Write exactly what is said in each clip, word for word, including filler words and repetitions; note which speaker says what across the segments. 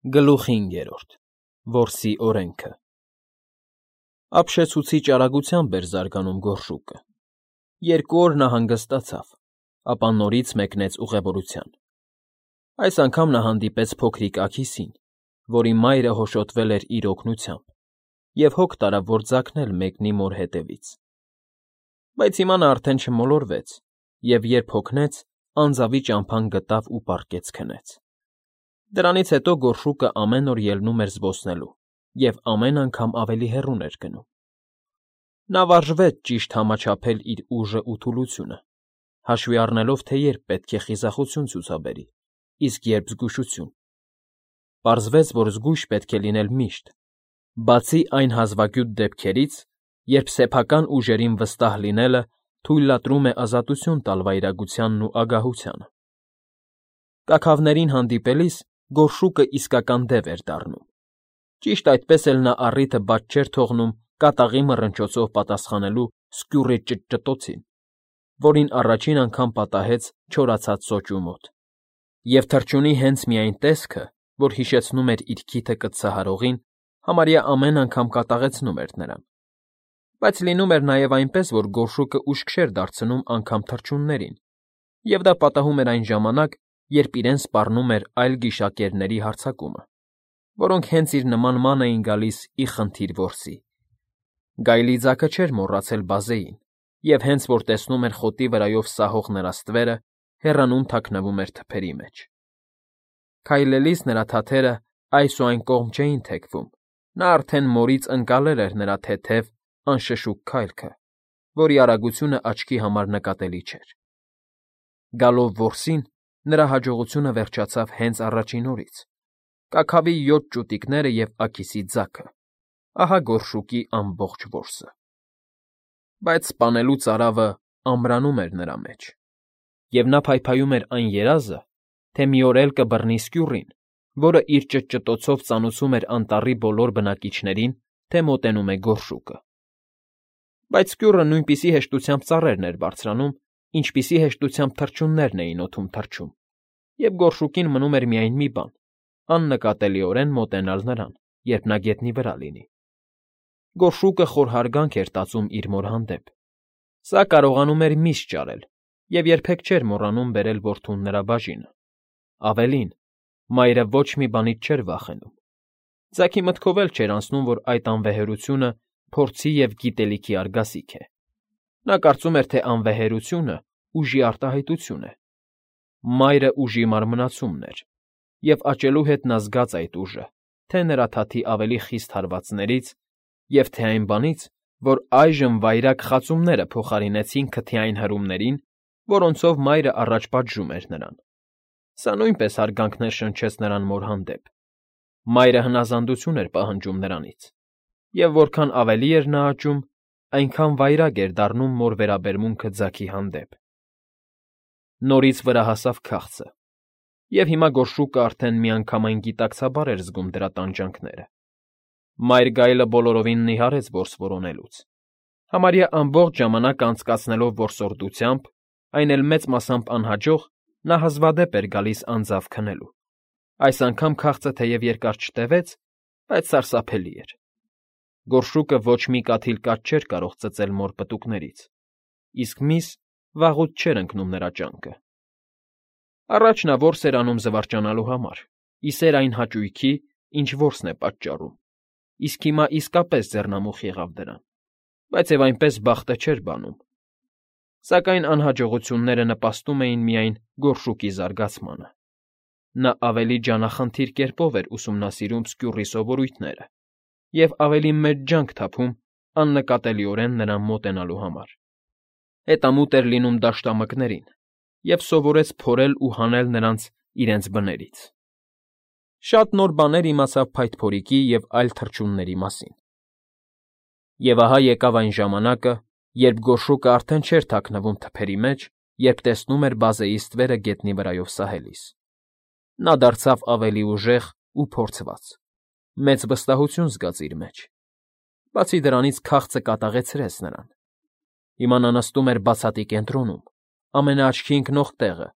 Speaker 1: Գլուխ հինգերորդ Որսի օրենքը Ապշեցուցիչ արագությամբ էր զարգանում գորշուկը։ Երկու օր նա հանգստացավ, ապա նորից մեկնեց ուղևորության։ Այս անգամ նա հանդիպեց փոքրիկ աքիսին, որի մայրը հոշոտվել էր իր օգնությամբ, և հոգ տարավ, որ ձագնել մեկնի մոր հետևից։ Բայց հիմա նա արդեն չմոլորվեց և, երբ հոգնեց, անձավի ճամփան գտավ ու պառկեց քնեց։ Դրանից հետո գորշուկը ամեն օր ելնում էր զբոսնելու և ամեն անգամ ավելի հեռուն էր գնում։ Նա վարժվեց ճիշտ համաչափել իր ուժն ու թուլությունը, հաշվի առնելով, թե երբ պետք է խիզախություն ցուցաբերի, իսկ երբ զգուշություն։ Պարզվեց, որ զգույշ պետք է լինել միշտ, բացի այն հազվագյուտ դեպքերից, երբ սեփական ուժերին վստահ լինելը թույլատրում է ազատություն տալ վայրագությանն ու ագահությանը։ Կաքավներին հանդիպելիս գորշուկը իսկական դև էր դառնում։ Ճիշտ այդպես էլ նա առիթը բաց չէր թողնում կատաղի մռնչոցով պատասխանելու սկյուռի ճտճտոցին, որին առաջին անգամ պատահեց չորացած սոճու մոտ, և թռչունի հենց միայն տեսքը, որ հիշեցնում էր իր քիթը կծծահարողին, համարյա ամեն անգամ կատաղեցնում էր նրան։ Բայց լինում էր նաև այնպես, որ գորշուկը ուշք չէր դարձնում անգամ թռչուններին, և դա պատահում էր այն ժամանակ, երբ իրեն սպառնում էր այլ գիշակերների հարձակումը, որոնք հենց իր նման ման էին գալիս ի խնդիր որսի։ Գայլի ձագը չէր մոռացել բազեին և, հենց որ տեսնում էր խոտի վրայով սահող նրա ստվերը, հեռանում թաքնվում էր թփերի մեջ։ Քայլելիս նրա թաթերը այս ու այն կողմ չէին թեքվում, նա արդեն մորից ընկալել էր նրա թեթև, անշշուկ քայլքը, որի արագությունը աչքի համար նկատելի չէր։ Գալով որսին, նրա հաջողությունը վերջացավ հենց առաջին օրից։ Կաքավի յոթ ճուտիկները և աքիսի ձագը, ահա գորշուկի ամբողջ որսը։ Բայց սպանելու ծարավը ամրանում էր նրա մեջ, և նա փայփայում էր այն երազը, թե մի օր էլ կբռնի սկյուռին, որը իր ճտճտոցով ծանուցում էր անտառի բոլոր բնակիչներին, թե մոտենում է գորշուկը։ Բայց սկյուռը նույնպիսի հեշտությամբ ծառերն էր բարձրանում, ինչպիսի հեշտությամբ թռչուններն էին օդում թռչում, և գորշուկին մնում էր միայն մի բան՝ աննկատելիորեն մոտենալ նրան, երբ նա գետնի վրա լինի։ Գորշուկը խոր հարգանք էր տածում իր մոր հանդեպ։ Սա կարողանում էր միշտ ճարել և երբեք չէր մոռանում բերել որդուն նրա բաժինը։ Ավելին, մայրը ոչ մի բանից չէր վախենում։ Ձագի մտքով էլ չէր անցնում, որ այդ անվեհերությունը փորձի և գիտելիքի արգասիք է։ Նա կարծում էր, թե անվեհերությունը ուժի արտահայտություն է։ Մայրը ուժի մարմնացումն էր, և աճելու հետ նա զգաց այդ ուժը թե՛ նրա թաթի ավելի խիստ հարվածներից և թե՛ այն բանից, որ այժմ վայրագ խածումները փոխարինեցին քթյային հրումներին, որոնցով մայրը առաջ պատժում էր նրան։ Սա նույնպես հարգանքներ շնչեց նրան մոր հանդեպ։ Մայրը հնազանդություն էր պահանջում նրանից, և որքան ավելի էր նա աճում, այնքան վայրագ էր դառնում մոր վերաբերմունքը ձագի հանդեպ։ Նորից վրա հասավ քաղցը, և հիմա գորշուկը արդեն միանգամայն գիտակցաբար էր զգում դրա տանջանքները։ Մայր գայլը բոլորովին նիհարեց որս որոնելուց։ Համարյա ամբողջ ժամանակը անցկացնելով որսորդությամբ, այն էլ մեծ մասամբ անհաջող, նա հազվադեպ էր գալիս անձավ քնելու։ Այս անգամ քաղցը թեև երկար չտևեց, բայց սարսափելի էր։ Գորշուկը ոչ մի կաթիլ կաթ չէր կարող ծծել մոր պտուկներից, իսկ միս վաղուց չէր ընկնում նրա ճանկը։ Առաջ նա որս էր անում զվարճանալու համար, ի սեր այն հաճույքի, ինչ որսն է պատճառում, իսկ հիմա իսկապես ձեռնամուխ եղավ դրան, բայց և այնպես բախտը չէր բանում։ Սակայն անհաջողությունները նպաստում էին միայն գորշուկի զարգացմանը։ Նա ավելի ջանախնդիր կերպով էր ուսումնասիրում սկյուռի սովորույթները և ավելի մեծ ջանք թափում աննկատելիորեն նրան մոտենալու համար։ Հետամուտ էր լինում դաշտամկներին և սովորեց փորել ու հանել նրանց իրենց բներից։ Շատ նոր բաներ իմացավ փայտփորիկի և այլ թռչունների մասին։ Եվ ահա եկավ այն ժամանակը, երբ գորշուկը արդեն չէր թաքնվում թփերի մեջ, երբ տեսնում էր բազեի ստվերը գետնի վրայով սահելիս։ Նա դարձավ ավելի ուժեղ ու փորձված, մեծ վստահություն զգաց իր մեջ։ Բացի դրանից քաղցը կատաղեցրեց նրան։ Հիմա նա նստում էր բացատի կենտրոնում, ամենաաչքի ընկնող տեղը,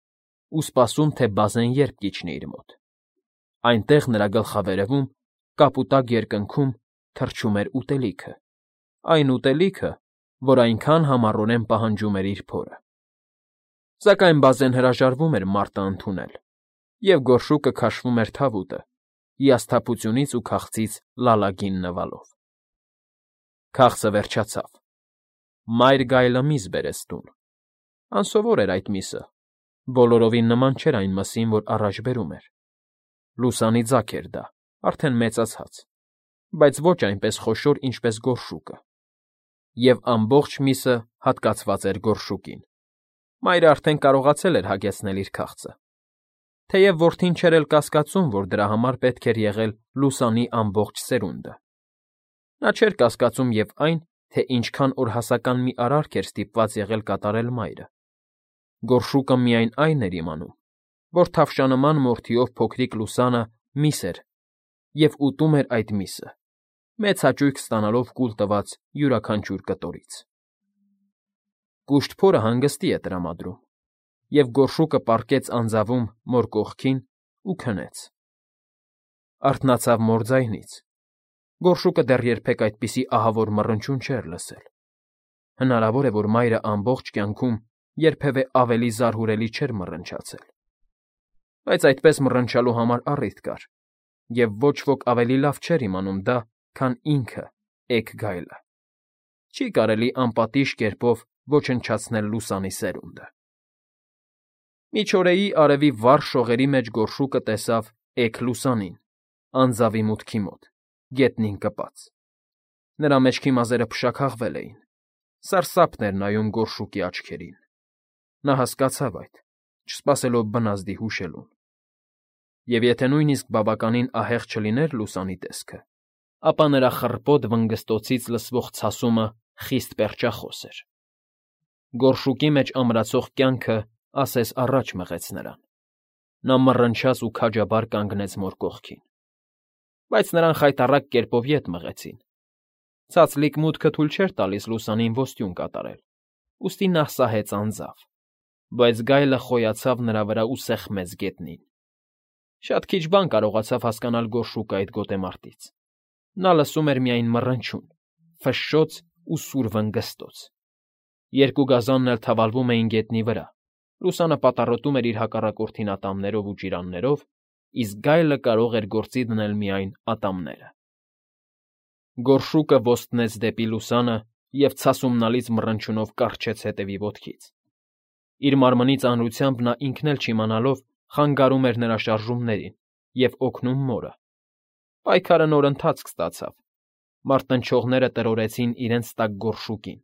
Speaker 1: ու սպասում, թե բազեն երբ կիջնի իր մոտ։ Այնտեղ նրա գլխավերևում, կապուտակ երկնքում թռչում էր ուտելիքը, այն ուտելիքը, որ այնքան համառորեն պահանջում էր իր փորը։ Սակայն բազեն հրաժարվում էր մարտը ընդունել, և գորշուկը քաշվում էր թավուտը, հիասթափությունից ու քաղցից լալագին նվալով։ Քաղցը վերջացավ։ Մայր գայլը միս բերեց տուն։ Անսովոր էր այդ միսը, բոլորովին նման չէր այն մսին, որ առաջ բերում էր։ Լուսանի ձագ էր դա, արդեն մեծացած, բայց ոչ այնպես խոշոր, ինչպես գորշուկը։ Եվ ամբողջ միսը հատկացված էր գորշուկին։ Մայրը արդեն կարողացել էր հագեցնել իր քաղցը։ Թեև որդին չէր էլ կասկածում, որ դրա համար պետք էր եղել լուսանի ամբողջ սերունդը։ Նա չէր կասկածում և այն, թե ինչքան օրհասական մի արարք էր ստիպված եղել կատարել մայրը։ Գորշուկը միայն այն էր իմանում, որ թավշանման մորթիով փոքրիկ Լուսանը միս էր և ուտում էր այդ միսը, մեծ հաճույք ստանալով կուլ տված յուրաքանչյուր կտորից։ Կուշտ փորը հանգստի է տրամադրում, և գորշուկը պառկեց անձավում մոր կողքին ու քնեց։ Արթնացավ մոր ձայնից։ Գորշուկը դեռ երբեք այդպիսի ահավոր մռնչյուն չէր լսել։ Հնարավոր է, որ մայրը ամբողջ կյանքում երբևէ ավելի զարհուրելի չէր մռնչացել։ Բայց այդպես մռնչալու համար առիթ կար, և ոչ ոք ավելի լավ չէր իմանում դա, քան ինքը՝ էգ գայլը։ Չի կարելի անպատիժ կերպով ոչնչացնել Լուսանի սերունդը։ Միջօրեի արևի վառ շողերի մեջ գորշուկը տեսավ էգ Լուսանին, անձավի մուտքի մոտ, գետնին կպած։ Նրա մեջքի մազերը փշաքաղվել էին, սարսափն էր նայում գորշուկի աչքերին։ Նա հասկացավ այդ, չսպասելով բնազդի հուշելուն։ Եվ եթե նույնիսկ բավականին ահեղ չլիներ Լուսանի տեսքը, ապա նրա խռպոտ վնգստոցից լսվող ցասումը խիստ պերճախոս էր։ Գորշուկի մեջ ամրացող կյանքը ասես առաջ մղեց նրան։ Նա մռնչաց ու քաջաբար կանգնեց մոր կողքին։ Բայց նրան խայտառակ կերպով ետ մղեցին։ Ցածլիկ մուտքը թույլ չէր տալիս Լուսանին ոստյուն կատարել, ուստի նա սահեց անձավ, բայց գայլը խոյացավ նրա վրա ու սեղմեց գետնին։ Շատ քիչ բան կարողացավ հասկանալ գորշուկը այդ գոտեմարտից։ Նա լսում էր միայն մռնչյուն, ֆշշոց ու սուր վնգստոց։ Երկու գազանն էլ թավալվում էին գետնի վրա, Լուսանը պատառոտում էր իր հակառակորդին ատամներով ու ջիրաններով, իսկ գայլը կարող էր գործի դնել միայն ատամները։ Գորշուկը ոստնեց դեպի Լուսանը և ցասումնալից մռնչյունով կառչեց հետևի ոտքից։ Իր մարմնի ծանրությամբ նա ինքն էլ չիմանալով խանգարում էր նրա շարժումներին և օգնում մորը։ Պայքարը նոր ընթացք ստացավ։ Մարտնչողները տրորեցին իրենց տակ գորշուկին,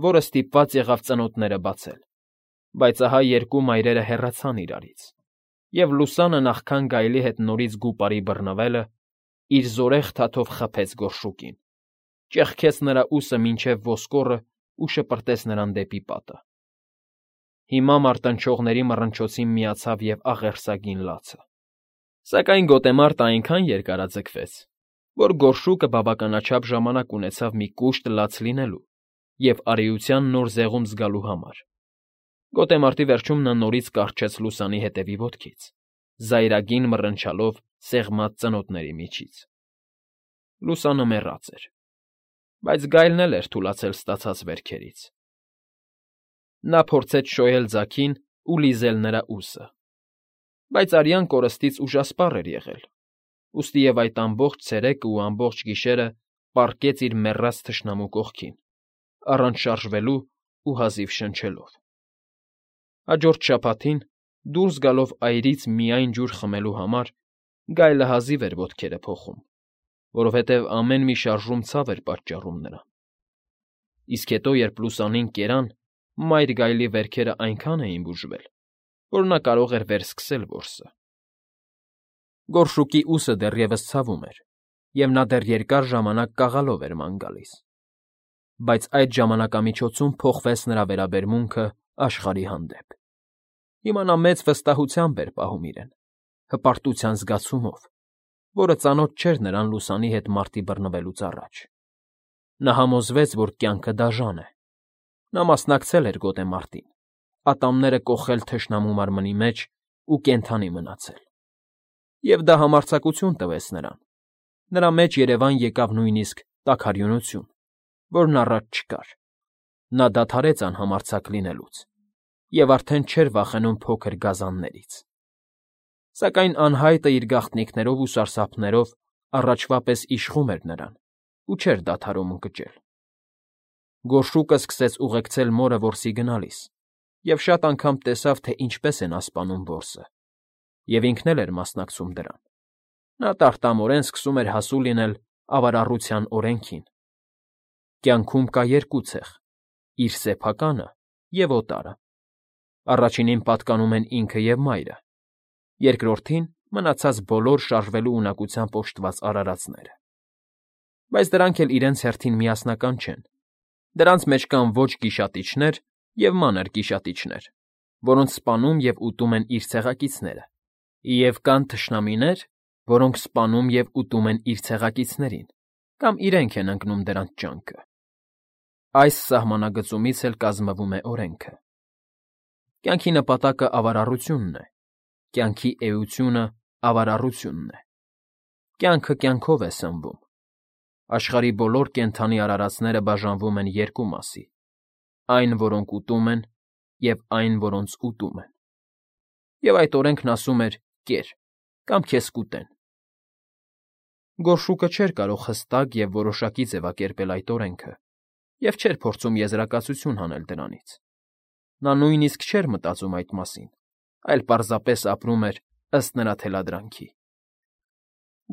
Speaker 1: որը ստիպված եղավ ծնոտները բացել։ Բայց ահա երկու մայրերը հեռացան իրարից, և Լուսանը նախքան գայլի հետ նորից գուպարի բռնվելը, իր զորեղ թաթով խփեց գորշուկին, ճեղքեց նրա ուսը մինչև ոսկորը ու շպրտեց նրան դեպի պատը։ Հիմա մարտնչողների մռնչոցին միացավ և աղերսագին լացը։ Սակայն գոտեմարտը այնքան երկարաձգվեց, որ գորշուկը բավականաչափ ժամանակ ունեցավ մի կուշտ լաց լինելու և արիության նոր զեղում զգալու համար։ Գոտեմարտի վերջում նա նորից կառչեց Լուսանի հետևի ոտքից, զայրագին մռնչալով սեղմած ծնոտների միջից։ Լուսանը մեռած էր, բայց գայլն էլ էր թուլացել ստացած վերքերից։ Նա փորձեց շոյել ձագին ու լիզել նրա ուսը, բայց արյան կորստից ուժասպառ էր եղել, ուստի և այդ ամբողջ ցերեկը ու ամբողջ գիշերը պառկեց իր մեռած թշնամու կողքին, առանց շարժվելու ու հազիվ շնչելով։ Հաջորդ շաբաթին, դուրս գալով այրից միայն ջուր խմելու համար, գայլը հազիվ էր ոտքերը փոխում, որովհետև ամեն մի շարժում ցավ էր պատճառում նրան։ Իսկ հետո, երբ Լուսանին կերան, մայր գայլի վերքերը այնքան էին բուժվել, որ նա կարող էր վերսկսել որսը։ Գորշուկի ուսը դեռևս ցավում էր, և նա դեռ երկար ժամանակ կաղալով էր ման գալիս։ Բայց այդ ժամանակամիջոցում փոխվեց նրա վերաբերմունքը աշխարհի հանդեպ։ Հիմա նա մեծ վստահությամբ էր պահում իրեն, հպարտության զգացումով, որը ծանոթ չէր նրան Լուսանի հետ մարտի բռնվելուց առաջ։ Նա համոզվեց, որ կյանքը դաժան է։ Նա մասնակցել էր գոտեմարտին, ատամները կոխել թշնամու մարմնի մեջ ու կենդանի մնացել։ Եվ դա համարձակություն տվեց նրան։ Նրա մեջ երևան եկավ նույնիսկ տաքարյունություն, որն առաջ չկար։ Նա դադարեց անհամարձակ լինելուց և արդեն չէր վախենում փոքր գազաններից։ Սակայն անհայտը իր գաղտնիքներով ու սարսափներով առաջվա պես իշխում էր նրան ու չէր դադարում ընկճել։ Գորշուկը սկսեց ուղեկցել մորը որսի գնալիս և շատ անգամ տեսավ, թե ինչպես է նա սպանում որսը, և ինքն էլ էր մասնակցում դրան։ Նա տարտամորեն սկսում էր հասու լինել ավարառության օրենքին։ Կյանքում կա երկու ցեղ՝ իր սեփականը և օտարը։ Առաջինին պատկանում են ինքը և մայրը, երկրորդին՝ մնացած բոլոր շարժվելու ունակությամբ օժտված արարածները։ Բայց դրանք էլ իրենց հերթին միասնական չեն. դրանց մեջ կան ոչ գիշատիչներ և մանր գիշատիչներ, որոնց սպանում և ուտում են իր ցեղակիցները, և կան թշնամիներ, որոնք սպանում և ուտում են իր ցեղակիցներին կամ իրենք են ընկնում դրանց ճանկը։ Այս սահմանագծումից էլ կազմվում է օրենքը։ Կյանքի նպատակը ավարառությունն է, կյանքի էությունը ավարառությունն է։ Կյանքը կյանքով է սնվում։ Աշխարհի բոլոր կենդանի արարածները բաժանվում են երկու մասի՝ այն, որոնք ուտում են, և այն, որոնց ուտում են։ Եվ այդ օրենքն ասում էր՝ կեր, կամ քեզ կուտեն։ Գորշուկը չէր կարող հստակ և որոշակի ձևակերպել այդ օրենքը և չէր փորձում եզրակացություն հանել դրանից։ Նա նույնիսկ չէր մտածում այդ մասին, այլ պարզապես ապրում էր ըստ նրա թելադրանքի։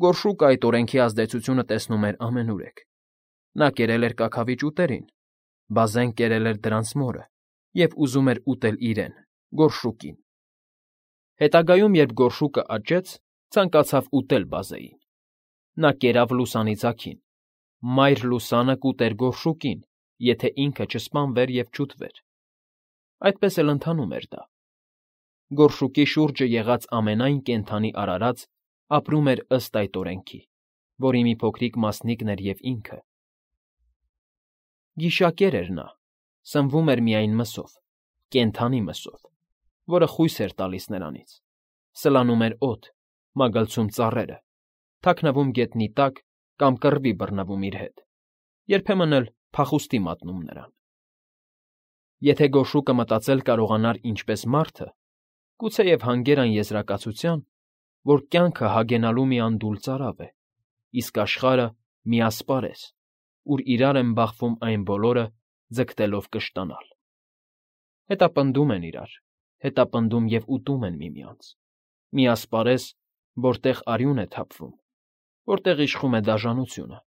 Speaker 1: Գորշուկը այդ օրենքի ազդեցությունը տեսնում էր ամենուրեք։ Նա կերել էր կաքավիճ ուտերին, բազեն կերել էր դրանց մորը և ուզում էր ուտել իրեն՝ գորշուկին։ Հետագայում, երբ գորշուկը աճեց, ցանկացավ ուտել բազեին։ Նա կերավ լուսանի ձագին։ Մայր լուսանը կուտեր գորշուկին, եթե ինքը չսպանվեր և չուտվեր։ Այդպես էլ ընթանում էր դա։ Գորշուկի շուրջը եղած ամենայն կենդանի արարած ապրում էր ըստ այդ օրենքի, որի մի փոքրիկ մասնիկն էր և ինքը։ Գիշակեր էր նա, սնվում էր միայն մսով, կենդանի մսով, որը խույս էր տալիս նրանից, սլանում էր օդ, մագլցում ծառերը, թաքնվում գետնի տակ կամ կռվի բռնվում իր հետ, երբեմն էլ փախուստի մատնում նրան։ Եթե գորշուկը մտածել կարողանար ինչպես մարդը, գուցեև հանգեր այն եզրակացության, որ կյանքը հագենալու մի անդուլ ծարավ է, իսկ աշխարհը՝ մի ասպարեզ, ուր իրար են բախվում այն բոլորը՝ ձգտելով կշտանալ։ Հետապնդում են իրար, հետապնդում և ուտում են միմյանց։ Մի ասպարեզ, որտեղ արյուն է թափվում, որտեղ իշխում է դաժանությունը,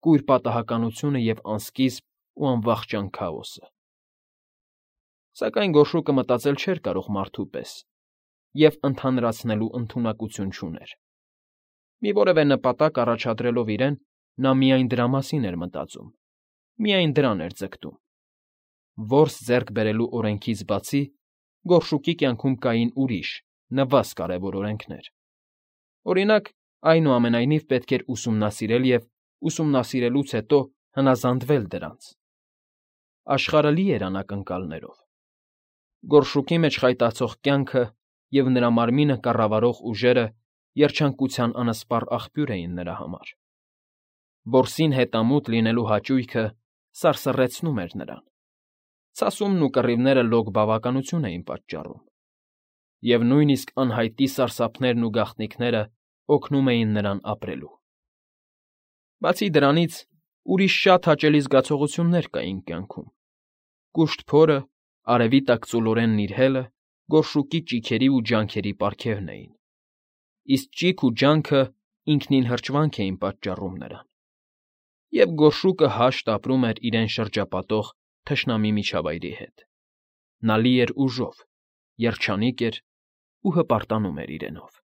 Speaker 1: կույր պատահականությունը և անսկիզբ ու անվախճան քաոսը։ Սակայն գորշուկը մտածել չէր կարող մարդու պես և ընդհանրացնելու ընդունակություն չուներ։ Մի որևէ նպատակ առաջադրելով իրեն, նա միայն դրա մասին էր մտածում, միայն դրան էր ձգտում։ Որս ձեռք բերելու օրենքից բացի, գորշուկի կյանքում կային ուրիշ, նվազ կարևոր օրենքներ։ Օրինակ, այնուամենայնիվ պետք էր ուսումնասիրել և, ուսումնասիրելուց հետո, հնազանդվել դրանց։ Աշխարհը լի էր անակնկալներով։ Գորշուկի մեջ խայտացող կյանքը և նրա մարմինը կառավարող ուժերը երջանկության անսպառ աղբյուր էին նրա համար։ Որսին հետամուտ լինելու հաճույքը սարսռեցնում էր նրան։ Ցասումն ու կռիվները լոկ բավականություն էին պատճառում, և նույնիսկ անհայտի սարսափներն ու գաղտնիքները օգնում էին նրան ապրելու։ Բացի դրանից, ուրիշ շատ հաճելի զգացողություններ կային կյանքում։ Կուշտ փորը, արևի տակ ծուլորեն նիրհելը գորշուկի ճիգերի ու ջանքերի պարգևն էին, իսկ ճիգ ու ջանքը ինքնին հրճվանք էին պատճառում նրան։ Եվ գորշուկը հաշտ ապրում էր իրեն շրջապատող թշնամի միջավայրի հետ։ Նա լի էր ուժով, երջանիկ էր ու հպարտանում էր իրենով։